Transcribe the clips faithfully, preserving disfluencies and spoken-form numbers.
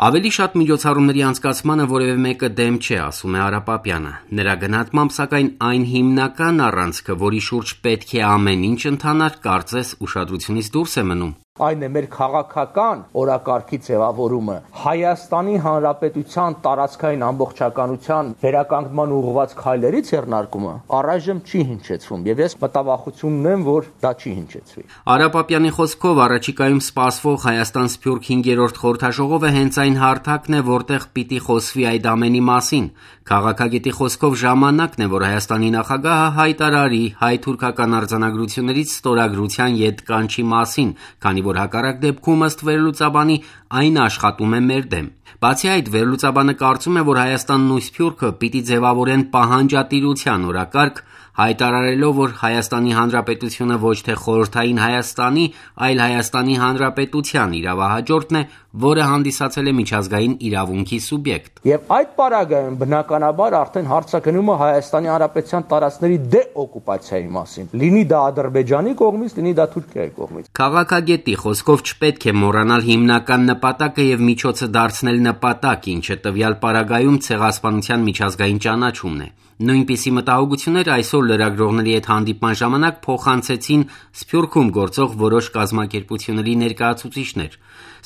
Ավելի շատ միջոցառումների անցկացմանը որևէ մեկը դեմ չէ, ասում է Արա Պապյանը։ Նրա գնահատմամբ, սակայն, այն հիմնական առանցքը, որի շուրջ պետք է ամեն ինչ ընթանար, կարծես ուշադրությունից դուրս է մնում։ Այն է մեր քաղաքական օրակարգի ձևավորումը, Հայաստանի Հանրապետության տարածքային ամբողջականության վերականգնման ուղղված քայլերից եռնարկումը առայժմ չի հնչեցվում, եւ ես մտավախություն ունեմ, որ դա չի հնչեցվի։ Արա Պապյանի խոսքով առաջիկայում սպասվող Հայաստան-Սփյուռք հինգերորդ խորհրդաժողովը հենց այն հարթակն է, որտեղ պիտի խոսվի այդ ամենի մասին։ Քաղաքագետի խոսքով ժամանակն է, որ Հայաստանի նախագահը հայտարարի հայ-թուրքական արձանագրություններից ստորագրության ետ կանչի մասին, քանի որ հակառակ դեպքում ըստ վերլուծաբանի այն աշխատում է մեր դեմ։ Բացի այդ, վերլուծաբանը կարծում է, որ Հայաստանն ու Սփյուռքը պիտի ձևավորեն պահանջատիրության օրակարգ, հայտարարելով, որ Հայաստանի Հանրապետությունը ոչ թե խորհրդային Հայաստանի, այլ Հայաստանի Հանրապետության իրավահաջորդն է, որը հանդիսացել է միջազգային իրավունքի սուբյեկտ։ Եվ այդ պարագայում բնականաբար արդեն հարց է գնում Հայաստանի Հանրապետության տարածքների դեօկուպացիայի մասին, լինի դա Ադրբեջանի կողմից, լինի դա Թուրքիայի կողմից։ Քաղաքագետի խոսքով չպետք է մոռանալ հիմնական նպատակը եւ միջոցը դարձնել նպատակ, ինչը տվյալ պարագայում ցեղասպանության միջազգային ճանաչումն է։ Նույնպիսի մտահոգություններ այսօր լրագրողների հետ հանդիպման ժամանակ փոխանցեցին Սփյուռքում գործող որոշ կազմակերպությունների ներկայացուցիչներ։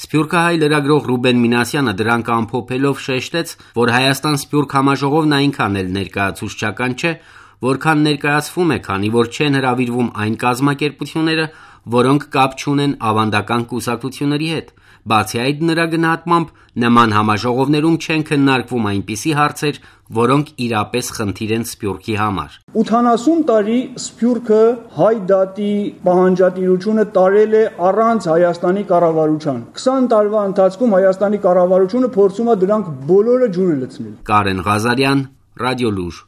Սփյուռքահայ լրագրող Ռուբեն Մինասյանը դրանք ամփոփելով շեշտեց, որ Հայաստան-Սփյուռք համաժողովն այնքան էլ ներկայացուցչական չէ, որքան ներկայացվում է, քանի որ չեն հրավիրվում այն կազմակերպությունները, որոնք կապ չունեն ավանդական կուսակցությունների հետ։ Բացի այդ, նրա գնահատմամբ, նման համաժողովներում չեն քննարկվում այնպիսի հարցեր, որոնք իրապես խնդիր են Սփյուռքի համար։ ութանասուն տարի Սփյուռքը հայ դատի պահանջատիրությունը տարել է առանց Հայաստանի կառավարության։ քսան տարվա ընթացքում Հայաստանի կառավարությունը փորձում է դրանք բոլորը ջուրը լցնել։ Կարեն Ղազարյան, Ռադիոլուր։